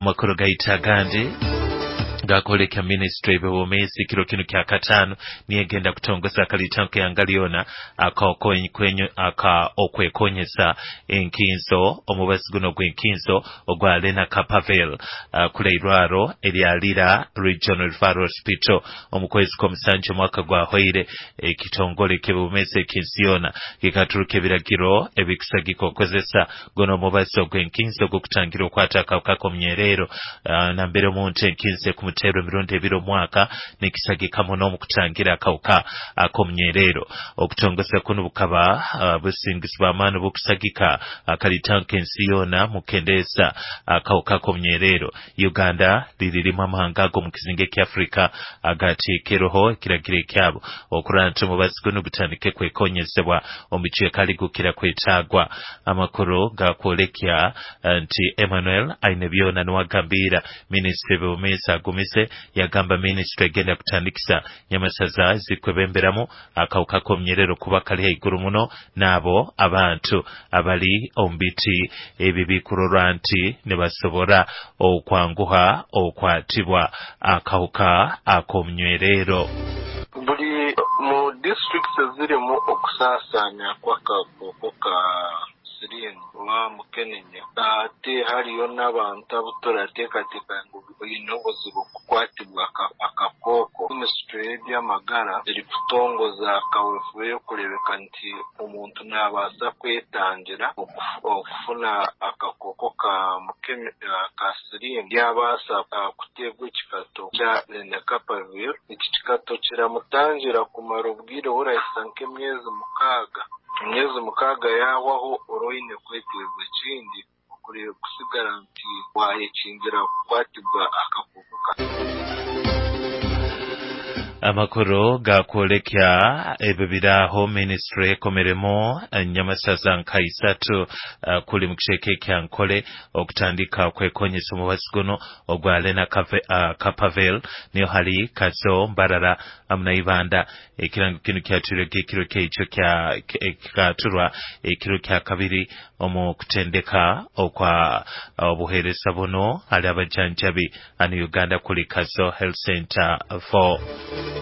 Makuru gaita agandi gakoleka ministry b'obwomeezi kiro kinu kya katano niyegenda kutongoza akalitanko yangaliona aka okwekonyesa enkinzo omubazi guno gw'enkinzo ogwa Lena Kapavel kule irwaro erya Lira Regional Referral Hospital omu kwezi kw'omusanju omwaka gwahwaire. Ekitongole ky'obwomeezi eky'ensi yoona kikaturuka ebiragiro ebikusagika okukozesa guno omubazi ogw'enkinzo ogw'okutangira okwata akawuka k'omunyerero, nambere omuntu enkinzo ekumuteerwa emirundi ebiri omwaka nikisagika muno omu kutangira akawuka ak'omunyerero. Okutongoza kuno bukaba busingizi bw'amaani bukusagika akalitanka ensi yoona mukendeeza akawuka k'omunyerero. Uganda liririmu amahanga ago mu kizinga eky'Afrika agateekereho ekiragiro ekyabo okurora nti omubazi guno gutandike kwekonyezebwa omu bicweka ligukira kwetaagwa. Amakuru gakwolekya nti Emmanuel Ainebyona niwe minisitule y'obwomeezi agumize yagamba minisitule egenda kutandikisa nyamasaza zikwebemberamu akawuka k'omunyerero kuba kali haiguru muno n'abo abantu abali omu biti ebi bikurorwa nti nibasobora okwanguha okwatibwa akawuka ak'omunywerero. Buli mu districts ezirimu okusaasaanya kw'akakooko ka siriimu oba mukenenya, ate hariyo n'abantu abu turateekateeka ngu baine obuzibu kukwatibwa akakooko, minisitule y'ebyamagara erikutongoza kaweefube y'okureebeka nti omuntu naabaasa kwetangira okufuna akakooko ka siriimu yabaasa kuteerwa ekikato kya Lenacapavir. Eki kikato kiramutangira kumara obwire burahisa nk'emyezi 6. Emyezi 6 yahwaho ora oine kweteerwa ekindi kusigara nti wayekingira kukwatibwa akakooko ka. Amakuru gakwolekya ebyo biraho minisitule ekomeremu nyamasaza nka isatu kuli mu kicweka ekya Nkole okutandika kwekonyesa omubazi guno ogwa Lena Kapavel, niyo hali Kazo, Mbarara hamu na Ibanda. Ekirango kinu kyatwirwege ekiro kyekyo kikaturwa ekiro kya kabiri omu kutendeka okwa obuheereza buno hali abajanjabi hanu Uganda kuli Kazo Health Center 4.